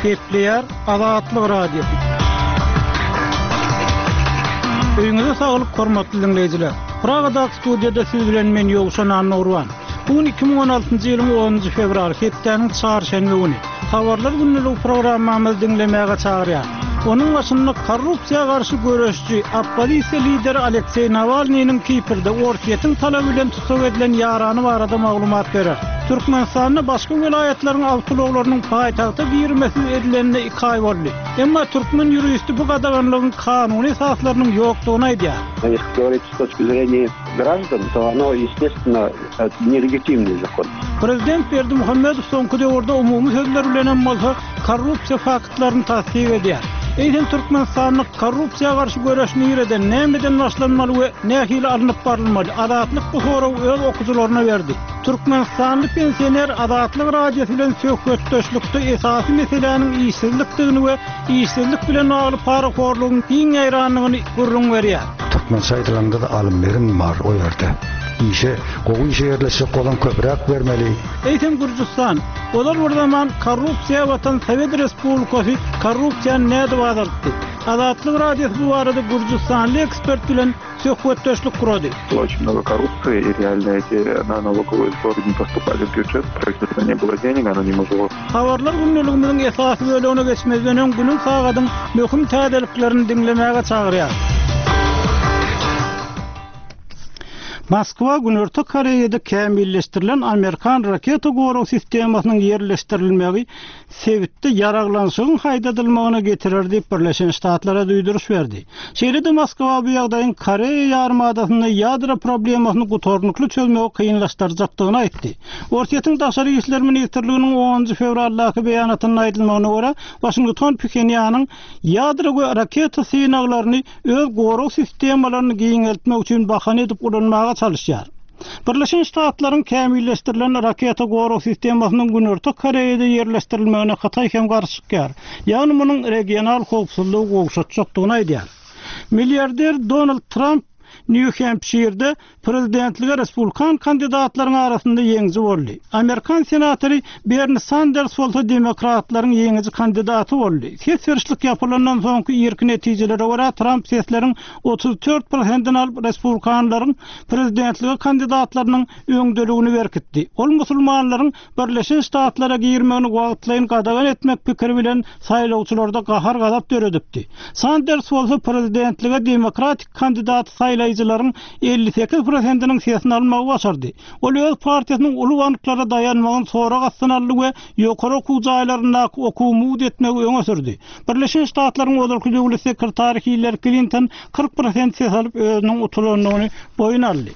Gepleýär Azatlyk Radiosy. Öýüňize saglyk hormatly diňleýjiler. Pragadaky studiýada siz bilen men Ýowşan Annagurban. Bu gün 2016-njy ýylyň 10-njy fewraly, hepdäniň çarşenbe güni. Habarlar gündeligi programmamyzy diňlemäge çagyrýar. Onuň başynda korrupsiýa garşy göreşçi, oppozisiýa lideri Alekseý Nawalnynyň Kiprde Orsýetiň talaby bilen tussag edilen ýarany barada maglumat berer. Türkmenistanda başga welaýatlaryň awtoulaglarynyň paýtagta girmesiz edilenine iki aý boldy. Emma türkmen ýuristi bu gadaganlygyň kanuny esaslarynyň ýokdugyny aýdýar. Если говорить с точки зрения граждан, то оно, естественно, нелегитимный закон. Prezident Berdimuhamedow soňky döwürde umumy sözler bilenem bolsa korrupsiýa faktlaryny tassyk edýär. Eýsem Türkmenistanda korrupsiýa garşy göreş nireden, nämeden başlanmaly we nähili alnyp barylmaly? Azatlyk bu soragy öz okyjylaryna berdi. Türkmenistanly pensioner Azatlyk Radiosy bilen söhbetdeşlikde esasy meseläniň işsizlikdigini we işsizlik bilen bagly parahorlugyň giň ýaýrandygyny gürrüň berýär. Türkmençe aýdylanda-da alym-berim bar o ýerde. Işe, gowy işe ýerleşjek bolsaň köpräk bermeli. Eýsem Gürjüstan, ozal bir zaman korrupsiýa batan Sowet Respublikasy korrupsiýany nädip azaltdy? Azatlyk Radiosy bu barada gürjüstanly ekspert bilen söhbetdeşlik gurady. Было очень много коррупции, и реально эти на налоговые сборы не поступали в бюджет, правительства не было денег, оно не могло. Habarlar gündeligimiziň esasy bölegine geçmezden öň günüň sagadyň möhüm täzeliklerini diňlemäge çagyrýar. Moskwa Günorta Koreýada kämilleşdirilen amerikan raketa gorag sistemasynyň ýerleşdirilmegi sebitde ýaraglanyşygyň haýdadylmagyna getirer diýip, Birleşen Ştatlara duýduryş berdi. Şeýle-de Moskwa bu ýagdaýyň Koreýa ýarymadasynda ýadro problemasyny gutarnykly çözmegi kynlaşdyrjakdygyny aýtdy. Orsýetiň Daşary işler ministrliginiň onunjy fewraldaky beýanatynda aýdylmagyna görä, Waşington Phenýanyň ýadro we raketa synaglaryny öz gorag sistemalaryny giňeltmek üçin bahana edip ulanmaga çalyşýar. Birleşen Ştatlaryň kämilleşdirilen raketa gorag sistemasynyň Günorta Koreýada ýerleşdirilmegine Hytaý hem garşy çykýar, ýagny munuň regional howpsuzlygy gowşatjakdygyny aýdýar. Milliarder Donald Tramp Nýu-Hempşirde Prezidentlige respublikan kandidatlaryň arasynda ýeňiji boldy. Amerikan senatory Berni Sanders bolsa demokratlaryň ýeňiji kandidaty boldy. Ses berişlik ýapylandan soňky irki netijelere görä, Tramp sesleriň 34 prosentini alyp, respublikanlaryň prezidentlige kandidatlarynyň öňdeligini berkitdi. Ol musulmanlaryň Birleşen Ştatlara girmegini wagtlaýyn gadagan etmek pikiri bilen saýlawçylarda gahar-gazap döredipdi. Sanders bolsa prezidentlige demokratik kandidaty saýlaýjylaryň 58 prosentiniň sesini almagy başardy. Ol öz partiýasynyň uly banklara daýanmagyny sorag astyna aldy we ýokary okuw jaýlaryndaky okuwy mugt etmegi öňe sürdi. Birleşen Ştatlaryň ozalky döwlet sekretary Hillari Klinton 40 prosent ses alyp özüniň utulandygyny boýun aldy.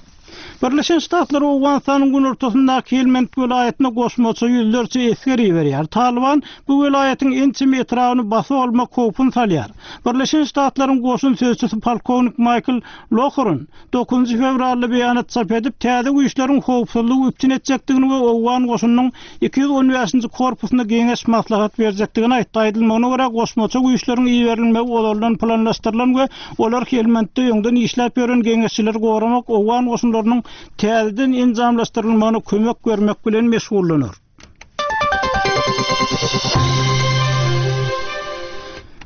Birleşen Ştatlar Owganystanyň günortasyndaky Helmand welaýatyna goşmaça ýüzlerçe esger iberýär. Talyban bu welaýatyň ençeme etrabyny basyp almak howpuny salýar. Birleşen Ştatlaryň goşun sözçüsi polkownik Maýkl Lohrin dokuzynjy fewralda beýanat çap edip, täze güýçleriň howpsuzlygy üpjün etjekdigini we owgan goşunynyň 215-nji korpusyna geňeş-maslahat berjekdigini aýtdy. Aýdylmagyna görä, goşmaça güýçleriň iberilmegi ozaldan planlaşdyrylan we olar Helmandda öňden işläp ýören geňeşçileri goramak, owgan goşunlarynyň täzeden enjamlaşdyrylmagyna kömek bermek bilen meşgullanar.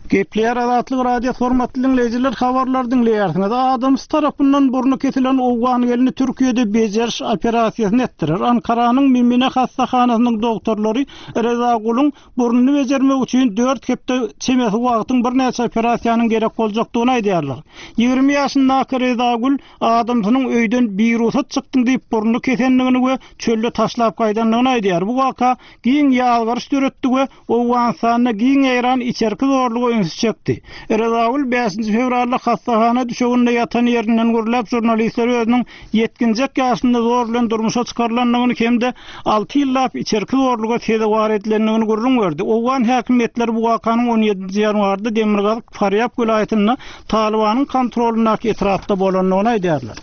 Gepleýär Azatlyk Radiosy hormatly diňleýjiler habarlary diňleýärsiňiz. Adamsy tarapyndan burny kesilen owgan gelni Türkiýede bejeriş operasiýasyny etdirer. Ankaranyň Mimine hassahanasynyň dogtorlary Reza Guluň burnuny bejermek üçin dört hepde çemesi wagtyň birnäçe operasiýanyň gerek boljakdygyny aýdýarlar. 20 ýaşyndaky Reza Gül adamsynyň öýden birugsat çykdyň diýip burnuny kesendigini we çölde taşlap gaýdandygyny aýdýar. Bu waka giň ýazgaryş döretdi we Owganystanda giň ýaýran içerki zorluga ünsi çekdi. Rezagül bäşinji fewralda hassahana düşeginde ýatan ýerinden gürläp, žurnalistlere özüniň ýetginjek ýaşynda zor bilen durmuşa çykarylandygyny hem-de alty ýyllap içerki zorluga sezewar edilendigini gürrüň berdi. Owgan häkimiýetleri bu wakanyň on ýedinji ýanwarda demirgazyk Farýab welaýatynda Talybanyň kontrolyndaky etrapda bolandygyny aýdýarlar.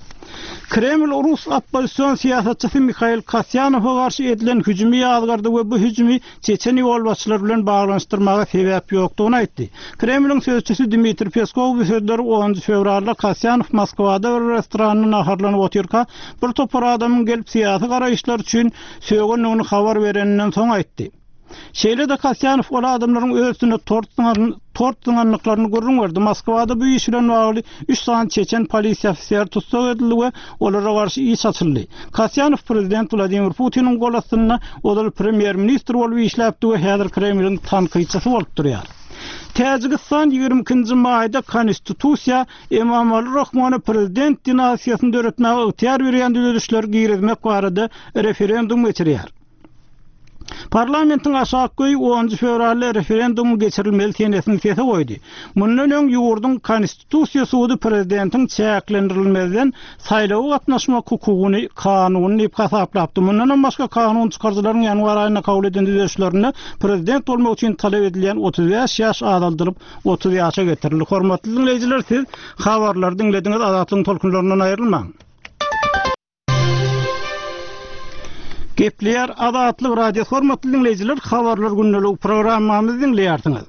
Kreml rus oppozision syýasatçysy Mihail Kasýanowa garşy edilen hüjümi ýazgardy we bu hüjümi çeçen ýolbaşçylary bilen baglanyşdyrmaga sebäp ýokdugyny aýtdy. Kremliň sözçüsi Dmitriý Peskow bu sözleri onunjy fewralda Kasýanow Moskwada bir restoranda naharlanyp otyrka, bir topar adamyň gelip syýasy garaýyşlary üçin sögendigini habar bereninden soň aýtdy. Şeýle-de Kasýanow ol adamlaryň öz üstüne tort zyňan tort zyňandyklaryny gürrüň berdi. Moskwada bu iş bilen bagly üç sany çeçen polisiýa ofiseri tussag edildi we olara garşy iş açyldy. Kasýanow prezident Wladimir Putiniň gol astynda ozal premýer-ministr bolup işläpdi we häzir Kremliň tankytçysy bolup durýar. Täjigistan 22-nji maýda Konstitusiýa Emomali Rahmona prezident dinastiýasyny döretmäge ygtyýar berýän düzedişleri girizmek barada referendum geçirýär. Parlamentiň aşakky öýi onunjy fewralda referendumyň geçirilmeli senesini sese goýdy. Mundan öň ýurduň Konstitusiýa sudy prezidentiň çäklendirilmezden saýlawa gatnaşmak hukugyny kanuny diýip hasaplapdy. Mundanam başga kanun çykaryjylaryň ýanwar aýynda kabul eden düzedişlerinde prezident bolmak üçin talap edilýän 35 ýaş azaldylyp, 30 ýaşa getirildi. Hormatly diňleýjiler, siz habarlary diňlediňiz, Azatlygyň tolkunlaryndan aýrylmaň. Gepleýär Azatlyk Radiosy hormatly diňleýjiler habarlar gündeligi programmamyzy diňleýärsiňiz.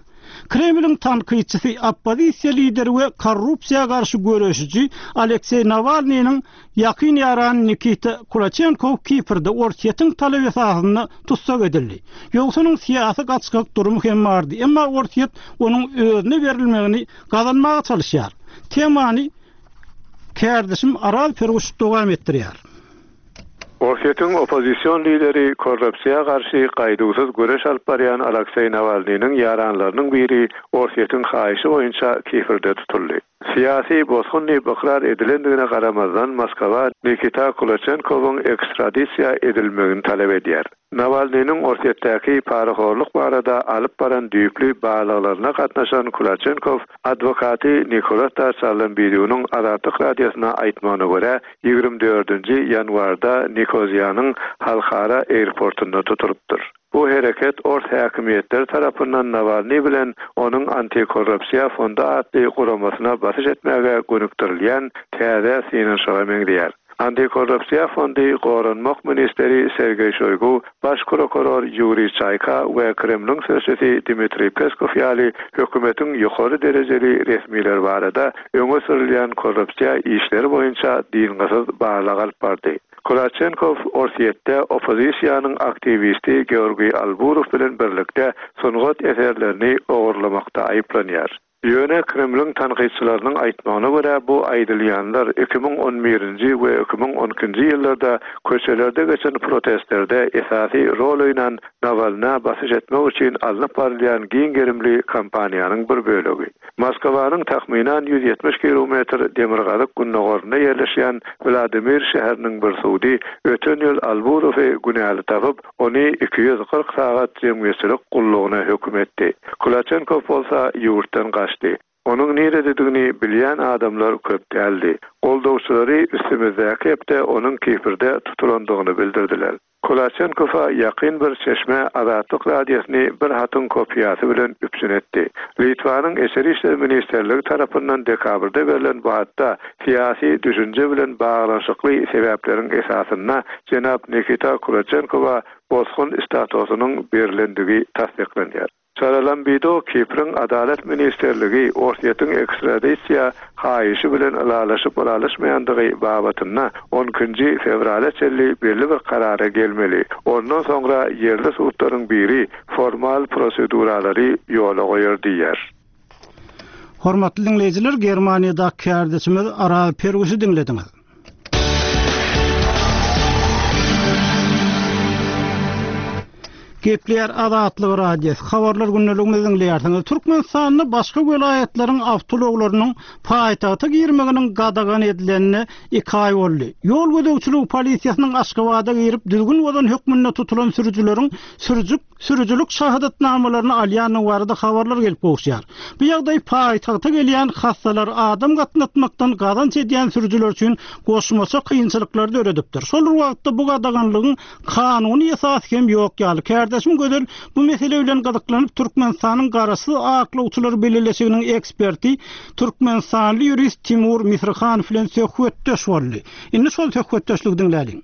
Kremliň tankytçysy, oppozisiýa lideri we korrupsiýa garşy göreşiji Alekseý Nawalnynyň ýakyn ýarany Nikita Kulaçenkow Kiprde Orsýetiň talaby esasynda tussag edildi. Ýogsa onuň syýasy gaçgak durumy hem bardy, emma Orsýet onuň özüne berilmegini gazanmaga çalyşýar. Temany Kärdeşim Aral Perguş dowam etdirýär. Orsýetiň oppozision lideri, korrupsiýa garşy gaýduwsyz göreş alyp barýan Alakseý Nawalnynyň ýaranlarynyň biri Orsýetiň haýyşy boýunça Kiprde tutuldy. Syýasy bosgun diýip ykrar edilendigine garamazdan, Moskwa Nikita Kulaçenkowyň ekstradisiýa edilmegini talap edýär. Nawalnynyň Orsýetdäki parahorluk barada alyp baran düýpli barlaglaryna gatnaşan Kulaçenkow adwokaty Nikolata Sarlambidunyň Azatlyk Radiosyna aýtmagyna görä, 24-nji ýanwarda Nikoziýanyň halkara airportunda tutulypdyr. Bu hereket ors häkimiýetleri tarapyndan Nawalnyý bilen onuň Antikorrupsiýa fondy atly guramasyna basyş etmäge gönükdirilýän täze synanyşyga meňzeýär. Antikorrupsiýa fondy Goranmak ministri Sergeý Şoýgu, Baş prokuror Ýuriý Çaýka we Kremliň sözçüsi Dmitriý Peskow ýaly hökümetiň ýokary derejeli resmileri barada öňe sürülýän korrupsiýa işleri boýunça dyngysyz barlag alyp bardy. Kulaçenkow Orsýetde oppozisiýanyň aktiwisti Georgiý Alburow bilen birlikde sungat eserlerini ogurlamakda aýyplanýar. Ýöne Kremliň tankytçylarynyň aýtmagyna görä, bu aýdylýanlar 2011-nji we 2012-nji ýyllarda köçelerde geçen protestlerde esasy rol oýnan Nawalnä basyş etmek üçin alnyp barylýan giň gerimli kampaniýanyň bir bölegi. Moskwanyň takmynan 170 kilometr demirgazyk-gündogarynda ýerleşýän Wladimir şäheriniň bir sudy öten ýyl Alburowy günäli tapyp, Ony 240 sagat jemgyýetçilik gullugyna höküm etdi. Kulaçenkow bolsa ýurtdan gaçdy. Onuň nirededigini bilýän adamlar köp däldi. Goldawçylary üstümizdäki hepde onuň Kiprde tutulandygyny bildirdiler. Kulaçenkowa ýakyn bir çeşme Azatlyk Radiosyny bir hatyň kopiýasy bilen üpjün etdi. Litwanyň Içeri işler ministrligi tarapyndan dekabrda berlen bu hatda syýasy düşünje bilen baglanyşykly sebäpleriň esasynda jenap Nikita Kulaçenkowa bosgun statusynyň berlendigi tassyklanýar. Çaralambido Kipriň Adalat ministrligi Orsýetiň ekstradisiýa haýyşy bilen ylalaşyp-ylalaşmaýandygy babatynda on ikinji fewrala çenli belli bir karara gelmeli, ondan soňra ýerli sudlaryň biri formal proseduralary ýola goýar diýýär. Hormatly diňleýjiler, Germaniýadaky kärdeşimiz Araz Perwişi diňlediňiz. Gepleýär Azatlyk Radiosy. Habarlar gündeligimizi diňleýärsiňiz. Türkmenistanda başga welaýatlaryň awtoulaglarynyň paýtagta girmeginiň gadagan edilenine iki aý boldy. Ýol gözegçiligi polisiýasynyň Aşgabada girip, düzgün bozan hökmünde tutulan sürüjileriň sürüjik sürüjilik şahadatnamalaryny alýandygy barada habarlar gelip gowuşýar. Bu ýagdaý paýtagta gelýän hassalary adam gatnatmakdan gazanç edýän sürüjiler üçin goşmaça kynçylyklary döredipdir. Şol bir wagtda bu gadaganlygyň kanuny esasy hem ýok ýaly. Kärdeşim Gözel bu mesele bilen gyzyklanyp, Türkmenistanyň Garaşsyz aklawçylar bileleşiginiň eksperti, türkmenistanly ýurist Timur Misrihanow bilen söhbetdeş boldy. Indi şol söhbetdeşligi diňläliň.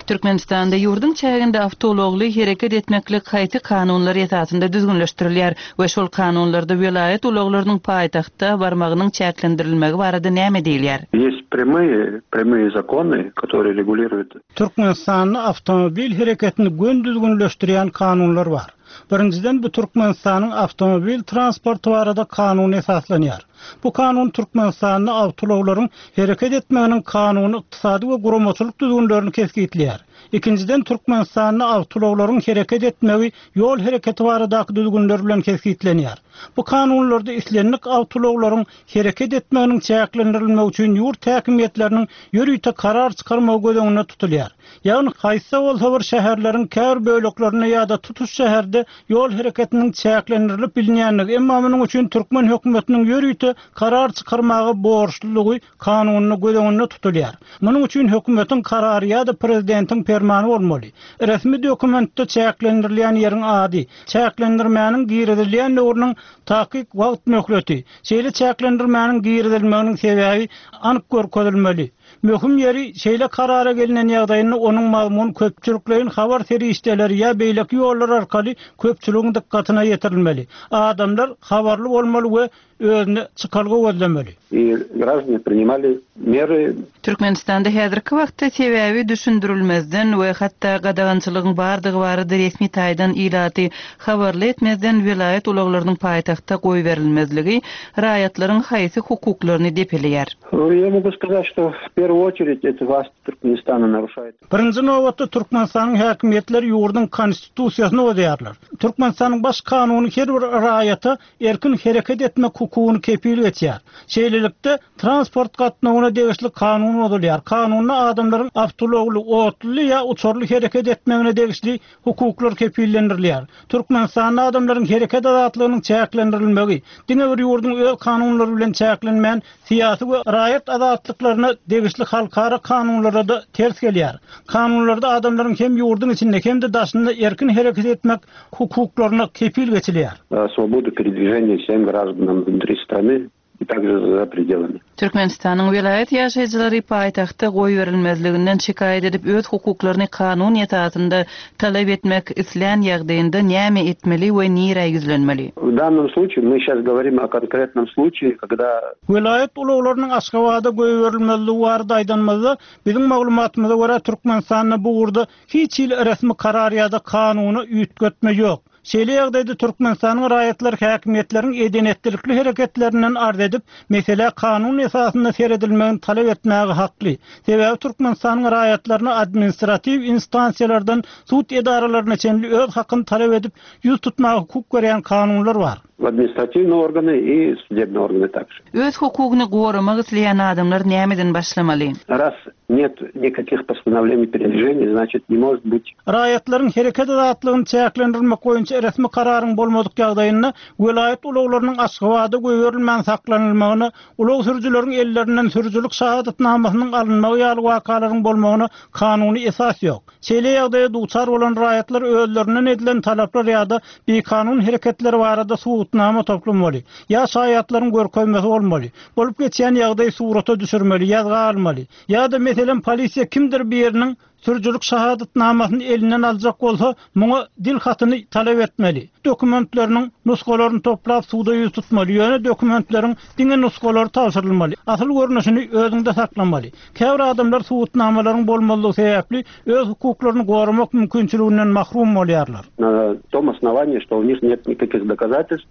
Türkmenistanda ýurduň çäginde awtoulagly hereket etmeklik haýsy kanunlar esasynda düzgünleşdirilýär we şol kanunlarda welaýat ulaglarynyň paýtagtda barmagynyň çäklendirilmegi barada näme diýilýär? Есть прямые, прямые законы, которые регулируют. Türkmenistanda awtomobil hereketini göni düzgünleşdirýän kanunlar bar. Birinjiden, bu Türkmenistanyň awtomobil transporty barada kanuna esaslanýar. Bu kanun Türkmenistanda awtoulaglaryň hereket etmeginiň kanuny, ykdysady we guramaçylyk düzgünlerini kesgitleýär. Ikinjiden, Türkmenistanda awtoulaglaryň hereket etmegi ýol hereketi baradaky düzgünler bilen kesgitlenýär. Bu kanunlarda islendik awtoulaglaryň hereket etmeginiň çäklendirilmegi üçin ýurt häkimiýetleriniň ýörite karar çykarmagy göz öňünde tutulýar. Ýagny haýsy-da bolsa bir şäherleriň käbir böleklerinde ýa-da tutuş şäherde ýol hereketiniň çäklendirilip bilinýändigi, emma munuň üçin türkmen hökümetiniň ýörite karar çykarmaga borçlulygy kanunda göz öňünde tutulýar. Munuň üçin hökümetiň karary ýa-da prezidentiň permany bolmaly. Resmi dokumentde çäklendirilýän ýeriň ady, çäklendirmäniň girizilýän döwrüniň takyk wagt möhleti, şeýle çäklendirmäniň girizilmeginiň sebäbi anyk görkezilmeli. Möhüm ýeri, şeýle karara gelnen ýagdaýynda onuň mazmuny köpçülikleýin habar serişdeleri ýa beýleki ýollar arkaly köpçüligiň dykgatyna ýetirilmeli. Adamlar habarly bolmaly we özüne çykalga gözlemeli. I graždane priнимali mery. Türkmenistanda häzirki wagtda sebäbi düşündirilmezden we hatda gadagançylygyň bardygy barada resmi taýdan ilaty habarly etmezden welaýat ulaglarynyň paýtagtda goýberilmezligi raýatlaryň haýsy hukuklaryny depeleýär? Ýa mogu skazat, şto w perwu oçerit eti wlast Türkmenistana naruşaýet. Birinji nobatda Türkmenistanyň häkimiýetleri ýurduň Konstitusiýasyny bozýarlar. Türkmenistanyň Baş kanuny her bir raýata erkin hereket etmek hukugyny kepil geçýär. Şeýlelikde, transport gatnawyna degişli kanun bozulýar. Kanunda adamlaryň awtoulagly, otluly ýa uçarly hereket etmegine degişli hukuklar kepillendirilýär. Türkmenistanda adamlaryň hereket azatlygynyň çäklendirilmegi, diňe bir ýurduň öz kanunlary bilen çäklenmän, syýasy we raýat azatlyklaryna degişli halkara kanunlara-da ters gelýär. Kanunlarda adamlaryň hem ýurduň içinde, hem-de daşynda erkin hereket etmek hukuklaryna kepil geçilýär. Swobodu peredwiženiýa wsem graždanam wnutri strany i takže za predelami. Türkmenistanyň welaýat ýaşaýjylary paýtagtda goýberilmezliginden şikaýat edip öz hukuklaryny kanun esasynda talap etmek islän ýagdaýynda näme etmeli we nirä ýüzlenmeli? W dannom sluçaýe my şas goworim o konkretnom sluçaýe, kogda. Welaýat ulaglarynyň Aşgabada goýberilmezligi barada aýdanymyzda, biziň maglumatymyza görä, Türkmenistanda bu ugurda hiç hili resmi karar ýa-da kanuny üýtgetme ýok. Şeýle ýagdaýda Türkmenistanyň raýatlary häkimiýetleriň eden-etdilikli hereketlerinden arz edip, meselä kanun esasynda seredilmegini talap etmäge hakly. Sebäbi Türkmenistanyň raýatlaryna administratiw instansiýalardan sud edaralaryna çenli öz hakyny talap edip, ýüz tutmaga hukuk berýän kanunlar bar. W administratiwnyý organy i sudebnyý organy takže. Öz hukugyny goramak isleýän adamlar nämeden başlamaly? Raz net nikakih postanowleniý peredwiženiý, znaçit ne может byt. Raýatlaryň hereket azatlygyny çäklendirmek boýunça resmi kararyň bolmadyk ýagdaýynda welaýat ulaglarynyň Aşgabada goýberilmän saklanylmagyna, ulag sürüjileriň ellerinden sürüjilik şahadatnamasynyň alynmagy ýaly wakalaryň bolmagyna kanuny esas ýok. Şeýle ýagdaýa duçar bolan raýatlar özlerinden edilen talaplar ýa-da bikanun hereketler barada subutnama toplamaly, ýa şaýatlaryň görkezmesi bolmaly, bolup geçýän ýagdaýy surata düşürmeli, ýazga almaly. Ýa-da, meselem, polisiýa kimdir biriniň sürüjilik şahadatnamasyny elinden aljak bolsa, muňa dil hatyny talap etmeli. Dokumentleriniň nusgalaryny toplap suda ýüz tutmaly, ýöne dokumentleriň diňe nusgalary tabşyrylmaly, asyl görnüşini özüňde saklamaly. Käbir adamlar subutnamalaryň bolmazlygy sebäpli öz hukuklaryny goramak mümkinçiliginden mahrum bolýarlar. Na tom osnowaniýi, şto u nih net nikakih dokazatelstw.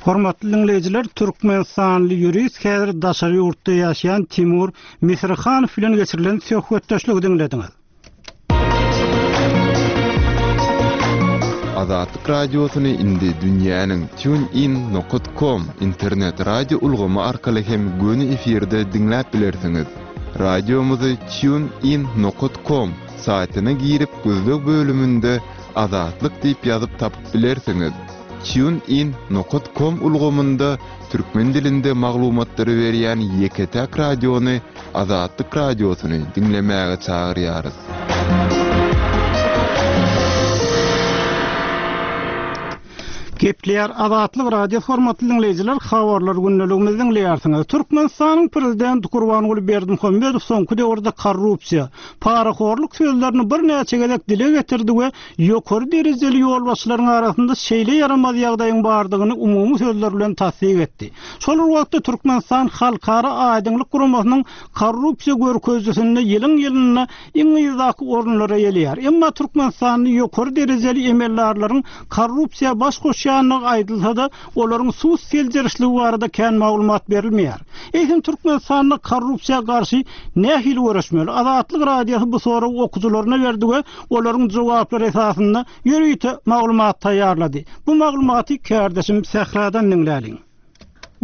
Hormatly diňleýjiler, türkmenistanly ýurist, häzir daşary ýurtda ýaşaýan Timur Misrihanow bilen geçirilen söhbetdeşligi diňlediňiz. Azatlyk Radiosyny indi dünýäniň TuneIn nokat kom internet radio ulgamy arkaly hem göni efirde diňläp bilersiňiz. Radiomyzy TuneIn nokat kom saýtyna girip gözleg bölüminde Azatlyk diýip ýazyp tapyp bilersiňiz. TuneIn nokat kom ulgamynda türkmen dilinde maglumatlary berýän ýeke-täk radiony Azatlyk Radiosyny diňlemäge çagyrýarys. Gepleýär Azatlyk Radiosy hormatly diňleýjiler habarlar gündeligimizi diňleýärsiňiz. Türkmenistanyň Prezidenti Gurbanguly Berdimuhamedow soňky döwürde korrupsiýa, parahorluk sözlerini birnäçe gezek dile getirdi we ýokary derejeli ýolbaşçylaryň arasynda şeýle ýaramaz ýagdaýyň bardygyny umumy sözler bilen tassyk etdi. Şol bir wagtda Türkmenistan Halkara aýdyňlyk guramasynyň korrupsiýa görkezijisinde ýylyň-ýylynda iň yzdaky orunlary eýeleýär. Emma Türkmenistanda ýokary derejeli emeldarlaryň korrupsiýa baş goşýandygy aýdylsa-da, olaryň sud seljerişligi barada kän maglumat berilmeýär. Eýsem Türkmenistanda korrupsiýa garşy nähili göreşmeli? Azatlyk Radiosy bu soragy okyjylaryna berdi we olaryň jogaplary esasynda ýörite maglumat taýýarlady. Bu maglumaty kärdeşim Sähradan diňläliň.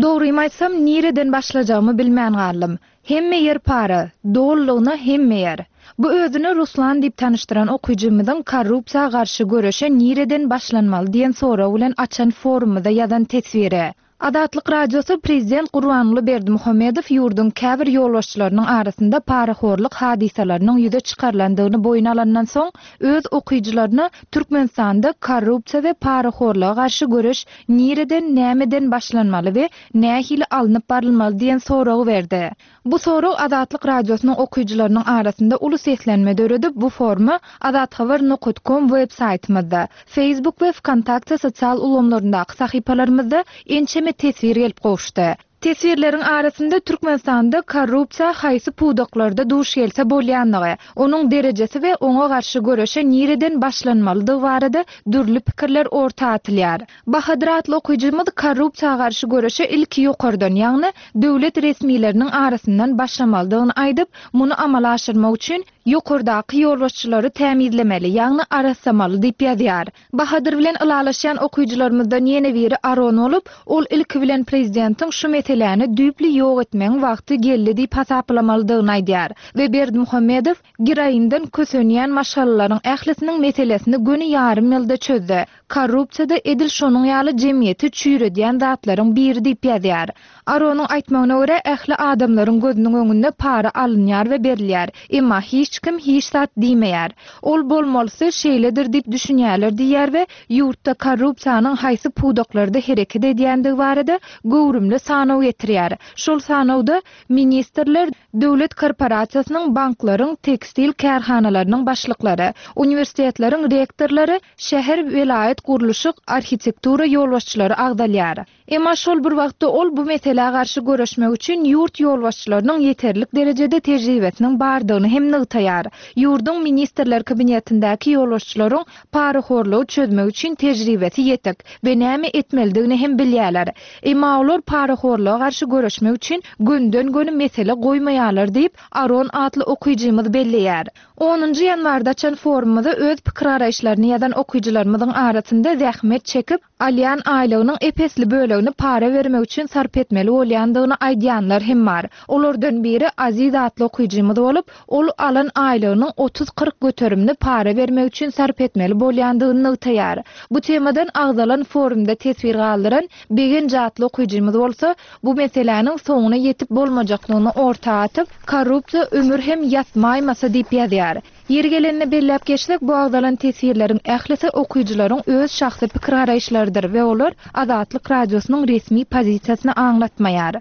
Dogrymy aýtsam, nireden başlajagymy bilmän galdym. Hemme ýer para, dolulygyna hemme ýer. Bu özüni Ruslan diýip tanyşdyran okyjymyzyň korrupsiýa garşy göreşe nireden başlanmaly diýen sorag bilen açan forumymyza ýazan teswiri. Azatlyk Radiosy Prezident Gurbanguly Berdimuhamedow ýurduň käbir ýolbaşçylarynyň arasynda parahorluk hadysalarynyň ýüze çykarylandygyny boýun alandan soň, öz okyjylaryna Türkmenistanda korrupsiýa we parahorluga garşy göreş nireden, nämeden başlanmaly we nähili alnyp barylmaly diýen soragy berdi. Bu sorag Azatlyk Radiosynyň okyjylarynyň arasynda uly seslenme döredip, bu foruma azathabar nokat kom web saýtymyzda, Facebook we Wkontakte sosial ulgamlaryndaky sahypalarymyzda ençeme teswir gelip gowuşdy. Teswirleriň arasynda Türkmenistanda korrupsiýa haýsy pudaklarda duş gelse bolýanlygy, onuň derejesi we oňa garşy göreşe nireden başlanmalydygy barada dürli pikirler orta atylýar. Bahadyr atly okyjymyz korrupsiýa garşy göreşe ilki ýokardan, ýagny döwlet resmileriniň arasyndan başlamalydygyny aýdyp, muny amala aşyrmak üçin ýokardaky ýolbaşçylary tämizlemeli, ýagny arassamaly diýip ýazýar. Bahadyr bilen ylalaşýan okyjylarymyzdan ýene biri Aron bolup, ol ilki bilen prezidentiň şu meseläni düýpli ýok etmegiň wagty geldi diýip hasaplamalydygyny aýdýar we Berdimuhamedow geroinden kösenýän maşgalalaryň ählisiniň meselesini göni ýarym ýylda çözdi. Korrupsiýa-da edil şonuň ýaly jemgyýeti çüýredýän zatlaryň biri diýip ýazýar. Aronyň aýtmagyna görä, ähli adamlaryň gözüniň öňünde para alynýar we berilýär, emma hiç kim hiç zat diýmeýär. Ol bolmalysy şeýledir diýip düşünýärler diýýär we ýurtda korrupsiýanyň haýsy pudaklarda hereket edýändigi barada göwrümli sanaw getirýär. Şol sanawda ministrler, döwlet korporasiýasynyň, banklaryň, tekstil kärhanalarynyň başlyklary, uniwersitetleriň rektorlary, şäher, welaýat gurluşyk, arhitektura ýolbaşçylary agzalýar. Emma şol bir wagtda ol bu meselä garşy göreşmek üçin ýurt ýolbaşçylarynyň ýeterlik derejede tejribesiniň bardygyny hem nygtaýar. Ýurduň Ministrler Kabinetindäki ýolbaşçylaryň parahorlugy çözmek üçin tejribesi ýetik we näme etmelidigini hem bilýärler. Emma olar parahorluga garşy göreşmek üçin gönüden-göni mesele goýmaýarlar diýip, Aron atly okyjymyz belleýär. Onunjy ýanwarda açan forumymyza öz pikir-garaýyşlaryny ýazan okyjylarymyzyň arasynda zähmet çekip, alýan aýlygynyň ep-esli bölegini para bermek üçin sarp etmeli bolýandygyny aýdýanlar hem bar. Olardan biri Aziz atly okyjymyz bolup, ol alan aýlygynyň otuz-kyrk göterimini para bermek üçin sarp etmeli bolýandygyny nygtaýar. Bu temadan agzalan forumda teswir galdyran Begenç atly okyjymyz bolsa, bu meseläniň soňuna ýetip bolmajakdygyny orta atyp, Korrupsiýa ömür hem ýatmaýmasa diýip ýazýar. Ýeri gelende belläp geçsek, bu agzalan teswirleriň ählisi okyjylaryň öz şahsy pikir-garaýyşlarydyr we olar Azatlyk Radiosynyň resmi pozisiýasyny aňlatmaýar.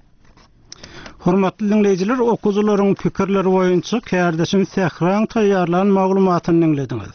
Hormatly diňleýjiler, okyjylaryň pikirleri boýunça kärdeşim Sähraň taýýarlan maglumatyny diňlediňiz.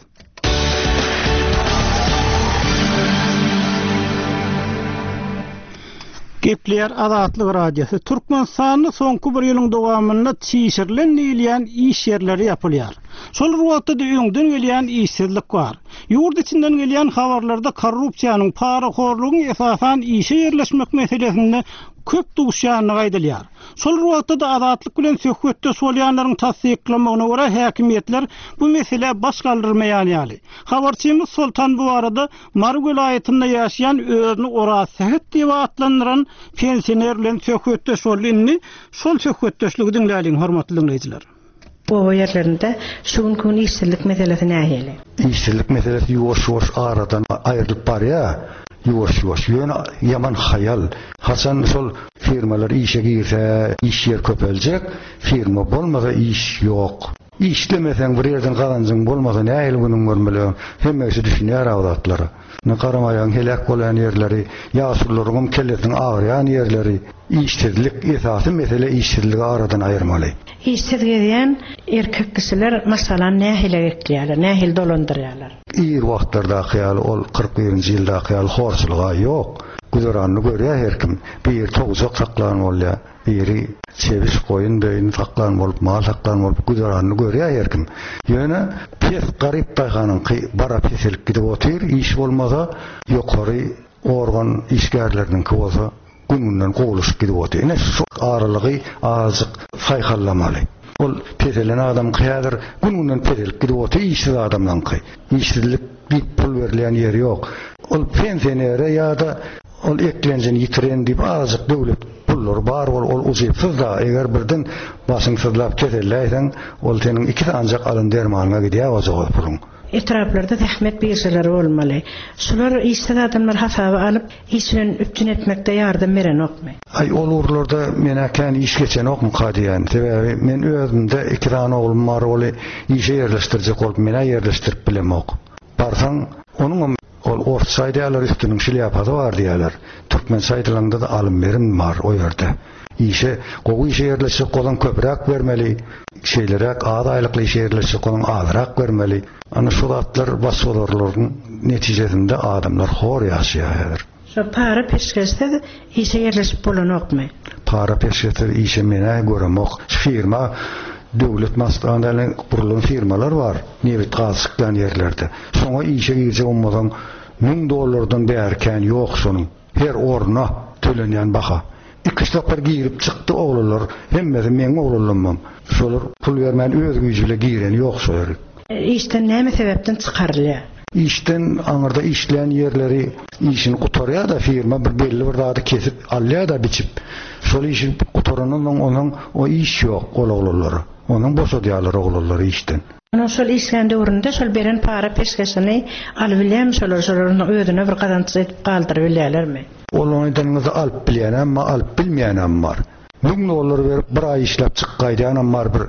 Gepleýär Azatlyk Radiosy. Türkmenistanda soňky bir ýylyň dowamynda çişirilen diýilýän iş ýerleri ýapylýar. Şol bir wagtda-da öňden gelýän işsizlik bar. Ýurt içinden gelýän habarlarda korrupsiýanyň, parahorlugyň esasan işe ýerleşmek meselesinde köp duşýandygy aýdylýar. Şol bir wagtda-da Azatlyk bilen söhbetdeş bolýanlaryň tassyklamagyna görä, häkimiýetler bu meselä baş galdyrmaýan ýaly. Habarçymyz Soltan bu barada Mary welaýatynda ýaşaýan özüni Orazsähet diýip atlandyran pensioner bilen söhbetdeş boldy. Indi şol söhbetdeşligi diňläliň, hormatly diňleýjiler. Oba ýerlerinde şu günki gün işsizlik meselesi nähili? Işsizlik meselesi ýuwaş-ýuwaş aradan aýrylyp barýar, ýuwaş-ýuwaş. Ýöne ýaman haýal. Haçan şol firmalar işe girse, iş ýer köpeljek, firma bolmasa iş ýok. Işlemeseň, bir ýerden gazanjyň bolmasa nähili günüň görmeli? Hemme kişi düşünýär-ä o zatlara. Ine garamaýagyň heläk bolýan ýerleri, ýaşulularyňam kellesiniň agyrýan ýerleri, işsizlik, esasy mesele işsizligi aradan aýyrmaly. Işsiz gezýän erkek kişiler maşgalany nähili ekleýärler, nähili dolandyrýarlar? Ir wagtlardaky ýaly ol 41-nji ýyldaky ýaly horçulyg-a ýok. Güzeranyny görýär her kim. Biri towjak saklan bolýar. Biri çebiş, goýun, böýün saklan bolup, mal saklan bolup güzeranyny görýär her kim. Ýöne pes garyp daýhanyňky bara peselip gidip otyr, iş bolmasa, ýokary organ işgärleriniňki bolsa gün-günden gowulaşyp gidip otyr. Ine şu aralygy azajyk saýhallamaly. Ol peselen adamyňky häzir gün-günden peselip gidip otyr, işsiz adamlaryňky. Işsizlik diýip pul berilýän ýeri ýok. Ol pensionere ýa-da Ol eklenjini ýitiren diýip azajyk döwlet pullary bar bol ol ujypsyz-da eger birden başyň syzlap keselläýseň ol seniň iki sanjak alan dermanyňa gidýär ojagaz puluň. Etraplarda zähmet biržalary bolmaly. Şular işsiz adamlary hasaba alyp, iş bilen üpjün etmekde ýardam berenokmy? Aý ol ugurlarda menä kän iş geçenokmyka diýýän. Sebäbi men özümde iki sany oglum bar oly işe ýerleşdirjek bolup menä ýerleşdirip bilemok. Barsaň onuňam Ol orsça aýdýarlar üstüniň şlýapasy bar diýýärler. Türkmençe aýdylanda-da alym-berim bar o ýerde. Işe, gowy işe ýerleşjek bolsaň köpräk bermeli, şeýleräk az aýlykly işe ýerleşjek bolsaň azrak bermeli. Ana şu zatlar başbozarlygyň netijesinde adamlar hor ýaşaýar häzir. Şo para peşgeşsiz işe ýerleşip bolanokmy? Para peşgeşsiz işe men-ä göremok. Şu firma döwlet maşgala gurulan firmalar bar, nebit gaz çykýan ýerlerde. Şoňa işe girjek bolmasaň müň dollardan bäri kän ýok şonuň. Her orna tölenýän baha. Iki-üç sapar girip çykdy oglanlar, hemmesi meň oglanlamam. Şolar pul bermän öz güýji bile gireni ýok şo ýerik. Işden näme sebäpden çykarylýar? Işden aňyrda işleýän ýerleri işini gutarýar-da firma bir belli bir zady kesip alýar-da biçip. Şol işi gutarandan soň onuň o iş ýok ol oglanlara. Onuň boşadýarlar oglanlary işden. Onuň şol işlän döwründe şol beren para peşgeşini alybilýärmi şolar şolar onuň özüne bir gazanç edip galdyrybilýärlermi? Ol aýdanyňyzy alyp bilýänem bar alyp bilmeýänem bar. Müň dollar berip bir aý işläp çykyp gaýdýanam bar bir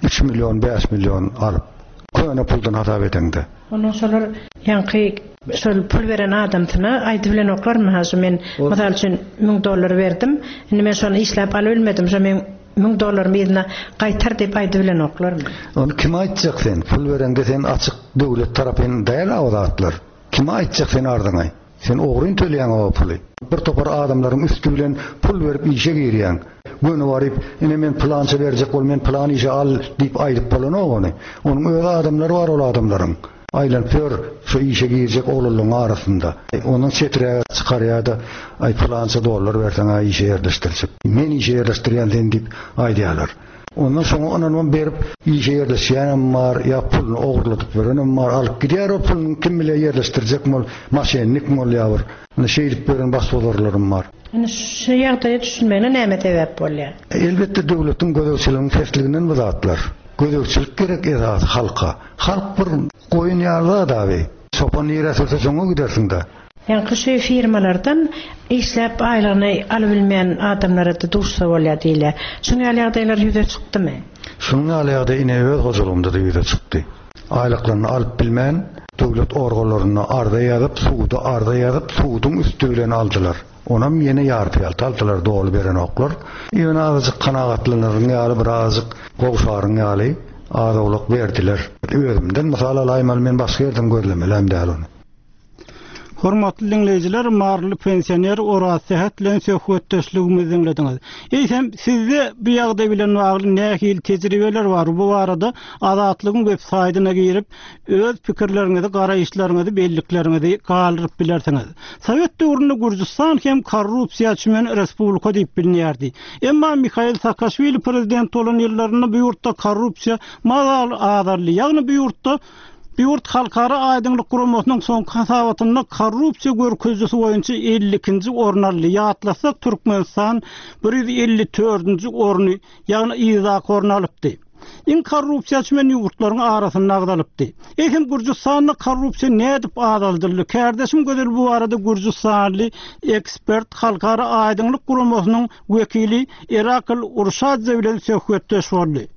üç million bäş million alyp. Köne puldan hasap edeňde. Ondan şolar ýaňky şol pul beren adamsyna aýdybilenoklarmy ha şu men mysal üçin müň dollar berdim indi men şony işläp alybilmedim şo meň müň dollarymy yzyna gaýtar diýip aýdybilenoklarmy. Ony kime aýtjak sen pul bereňde sen açyk döwlet tarapyn däl a o zatlar. Kime aýtjak sen arzyňy. Sen ogryn töleýäň o puly. Bir topar adamlaryň üsti bilen pul berip işe girýäň. Göni baryp, ine men pylança berjek bol, men pylan işe al diýip aýdyp bolanok ony. Onuň öz adamlary bar ol adamlaryň. Aýlanyp ýör şo işe girjek oglanlaryň arasynda. Ondan çeträge çykarýar-da, aý pylança dollar berseň-ä işe ýerleşdirjek. Men işe ýerleşdirýän seni diýip aýdýarlar. Ondan soňa ynanybam berip işe ýerleşýänem bar, ýa puluny ogurladyp ýörenem bar, alyp gidýär o puluny kim bilýär ýerleşdirjekmi ol, maşennikmi ol ýa bir. Ine şeýdip ýören başbozarlarym bar. Ine şu ýagdaýa düşünmegine näme sebäp bolýar? Elbetde döwletiň gözegçiliginiň pesliginden bu zatlar. Gözegçilik gerek esasy halka. Halk bir goýun ýaly zat abi. Çopan nirä sürse şoňa gidersiňdä. Ýaňky şu firmalardan işläp aýlygyny alybilmeýän adamlara-da duşsa bolýar diýilýär. Şunuň ýaly ýagdaýlar ýüze çykdymy? Şunuň ýaly ýagdaý ine öz hojalygymda-da ýüze çykdy. Aýlyklaryny alyp bilmän, döwlet organlaryna arza ýazyp, suda arza ýazyp, suduň üsti bilen aldylar. Onam ýene ýarpy-ýalta aldylar, doly berenoklar. Ýöne azajyk kanagatlanaryň ýaly, birazajyk gowşaryň ýaly az-owlak berdiler. Özümden mysal alaýmaly, men başga ýerden gözlemelem däl ony. Hormatly diňleýjiler, maryly pensioner Oraz Sähet bilen söhbetdeşligimizi diňlediňiz. Eýsem, sizde bu ýagdaý bilen bagly nähili tejribeler bar? Bu barada Azatlygyň web saýdyna girip, öz pikirleriňizi, garaýyşlaryňyzy, bellikleriňizi galdyryp bilersiňiz. Sowet döwründe Gürjüstan hem korrupsiýa çümen respublika diýip bilinýärdi. Emma Mihail Saakaşwili prezident bolan ýyllarynda bu ýurtda korrupsiýa mazaly azaldy. Ýagny bu ýurtda Bu ýurt Halkara aýdyňlyk guramasynyň soňky hasabatynda korrupsiýa görkezijisi boýunça 52-nji orun aldy. Ýatlasak, Türkmenistan 154-nji orny, ýagny yzdaky orny alypdy. Iň korrupsiýa çümen ýurtlaryň arasynda agzalypdy. Eýsem, Gürjüstanda korrupsiýa nädip azaldyldy? Kärdeşim Gözel bu barada gürjüstanly ekspert, Halkara aýdyňlyk guramasynyň wekili Erakl Urşadze bilen söhbetdeş boldy.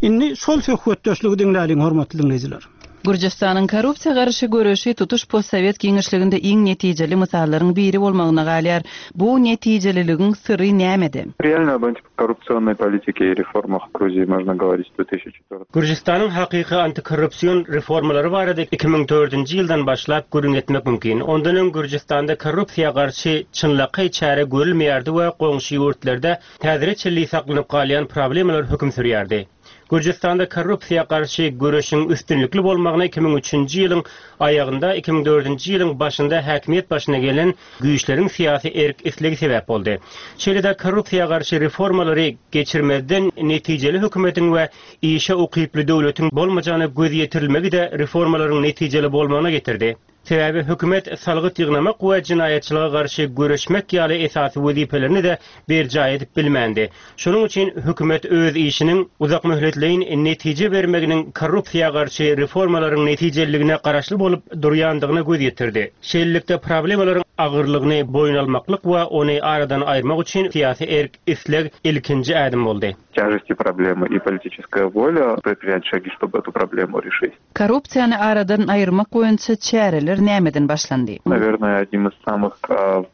Indi şol söhbetdeşligi diňläliň, hormatly diňleýjiler. Gürjüstanyň korrupsiýa garşy göreşi tutuş postsowet giňişliginde iň netijeli mysallaryň biri bolmagyna galýar. Bu netijeliligiň syry nämede? Реально об антикоррупционной политике и реформах в Грузии можно говорить с 2004. Gürjüstanyň hakyky antikorrupsion reformalary barada 2004-nji ýyldan başlap gürrüň etmek mümkin. Ondan öň Gürjüstanda korrupsiýa garşy çynlakaý çäre görülmeýärdi we goňşy ýurtlarda häzire çenli saklanyp galýan problemalar höküm sürýärdi. Gürjüstanda korrupsiýa garşy göreşiň üstünlikli bolmagyna 2003-nji ýylyň aýagynda, 2004-nji ýylyň başynda häkimiýet başyna gelen güýçleriň syýasy erk-islegi sebäp boldy. Şeýle-de korrupsiýa garşy reformalary geçirmezden netijeli hökümetiň we işe ukyply döwletiň bolmajagyna göz ýetirilmegi-de reformalaryň netijeli bolmagyna getirdi. Sebäbi hökümet salgyt ýygnamak we jenaýatçylyga garşy göreşmek ýaly esasy wezipelerini-de berjaý edip bilmändi. Şonuň üçin hökümet öz işiniň uzakmöhletleýin netije bermeginiň korrupsiýa garşy reformalaryň netijeliligine garaşly bolup durýandygyna göz ýetirdi. Şeýlelikde, problemalaryň agyrlygyny boýun almaklyk we ony aradan aýyrmak üçin syýasy erk-isleg ilkinji ädim boldy. Тяжести проблемы и политическая воля предпринять шаги, чтобы эту проблему решить. Korrupsiýany aradan aýyrmak boýunça çäreler nämeden başlandy? Nawernoe, одним iz samyh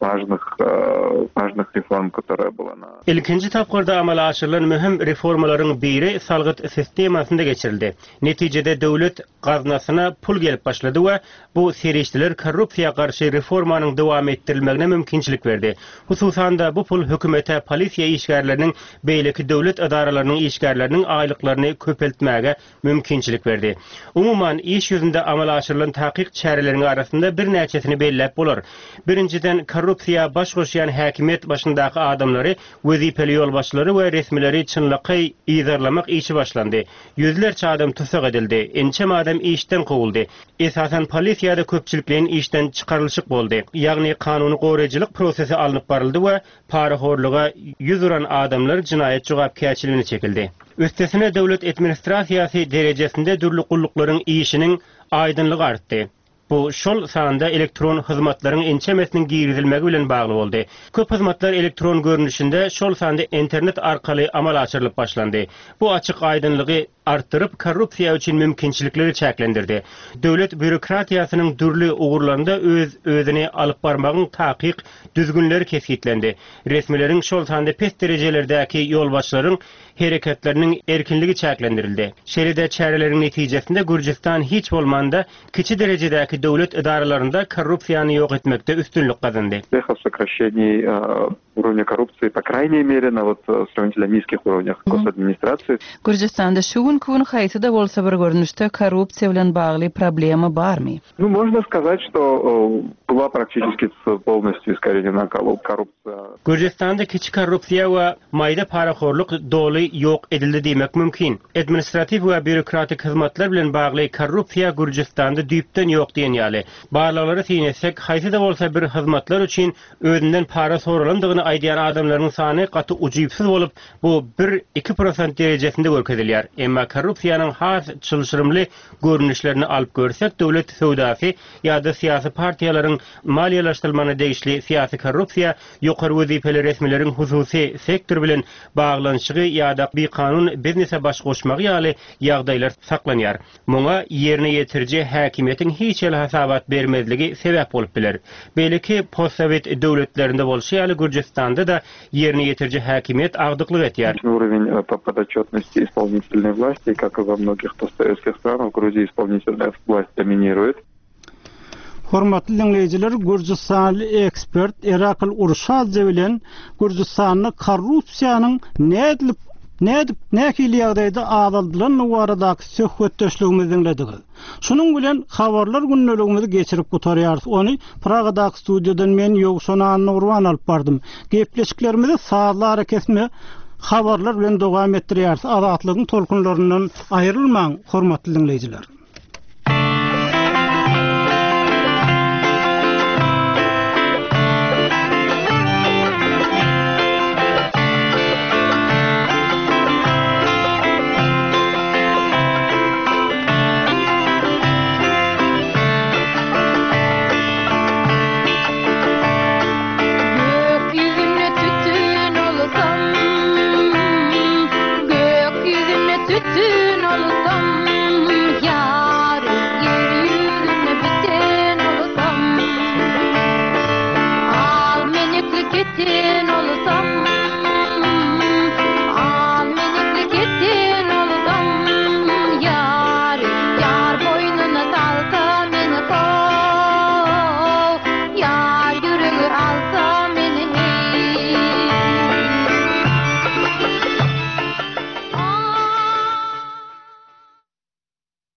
wažnyh wažnyh reform, kotoraýa byla na. Ilkinji tapgyrda amala aşyrylan möhüm reformalaryň biri salgyt sistemasynda geçirildi. Netijede döwlet gaznasyna pul gelip başlady we bu serişdeler korrupsiýa garşy reformanyň dowam etdirilmegine mümkinçilik berdi. Hususan-da, bu pul hökümete polisiýa işgärleriniň, beýleki döwlet edaralarynyň işgärleriniň aýlyklaryny köpeltmäge mümkinçilik berdi. Umuman, iş ýüzünde amala aşyrylan takyk çäreleriň arasynda birnäçesini belläp bolar. Birinjiden, korrupsiýa baş goşýan häkimiýet başyndaky adamlary, wezipeli ýolbaşçylary we resmileri çynlakaý yzarlamak işi başlandy. Ýüzlerçe adam tussag edildi, ençeme adam işden kowuldy. Esasan polisiýada köpçülikleýin işden çykarylyşyk boldy. Ýagny kanuny goraýjylyk prosesi alnyp baryldy we Parahorluga 100 uran adamlar jinaýat jogapkärçiligine çekildi. Üstesine döwlet administrasiýasy derejesinde dürli gulluklaryň işiniň aýdyňlygy artdy. Bu şol sanda elektron hyzmatlaryň ençemesiniň girizilmegi bilen bagly boldy. Köp hyzmatlar elektron görnüşinde, şol sanda internet arkaly amala aşyrylyp başlandy. Bu açyk-aýdyňlygy artdyryp, korrupsiýa üçin mümkinçilikleri çäklendirdi. Döwlet býurokratiýasynyň dürli ugurlarynda öz-özüni alyp barmagyň takyk düzgünleri kesgitlendi. Resmileriň, şol sanda pes derejelerdäki ýolbaşçylaryň hereketleriniň erkinligi çäklendirildi. Şeýle-de çäreleriň netijesinde Gürjüstan hiç bolmanda kiçi derejedäki döwlet edaralarynda korrupsiýany ýok etmekde üstünlik gazandy. Уровня korrupsiýa, po kraýneý mere, na wot srawnitelno nizkih urovnýah gosadministrasiýi. Gürjüstanda şu günki gün haýsy-da bolsa bir görnüşde korrupsiýa bilen bagly problema barmy? Nu, można skazat, çto byla praktiçeski polnostýu iskorenena korrupsiýa. Gürjüstanda kiçi korrupsiýa we maýda parahorluk doly ýok edildi diýmek mümkin. Administratiw we býurokratik hyzmatlar bilen bagly korrupsiýa Gürjüstanda düýpden ýok diýen ýaly. Barlaglara syn etsek, haýsy-da bolsa bir hyzmatlar üçin Özünden para soralandygyny aýdýan adamlaryň sany gaty ujypsyz bolup, bu bir, iki prosent derejesinde görkezilýär. Emma korrupsiýanyň has çylşyrymly görnüşlerini alyp görsek, döwlet söwdasy ýa-da syýasy partiýalaryň maliýeleşdirilmegine degişli syýasy korrupsiýa, ýokary wezipeli resmileriň hususy sektor bilen baglanyşygy ýa-da bikanun biznese baş goşmagy ýaly ýagdaýlar saklanýar. Muňa ýerine ýetiriji häkimiýetiň hiç hili hasabat bermezligi sebäp bolup biler. Beýleki postsowet döwletlerinde bolşy ýaly Gürjüstanda-da ýerine ýetiriji häkimiýet agdyklyk edýär. Уровень по подотчетности исполнительной власти, как и во многих постсоветских странах, в Грузии исполнительная власть доминирует. Hormatly diňleýjiler, gürjüstanly ekspert Erakl Urşadze bilen Gürjüstanda korrupsiýanyň nädilip, nädip, nähili ýagdaýda azaldylandygy baradaky söhbetdeşligimizi diňlediňiz. Şunuň bilen habarlar gündeligimizi geçirip gutarýarys. Ony Pragadaky studiýadan men Ýowşan Annagurban alyp bardym. Gepleşiklerimizi sazly arakesme habarlar bilen dowam etdirýäris. Azatlygyň tolkunlaryndan aýrylmaň, hormatly diňleýjiler!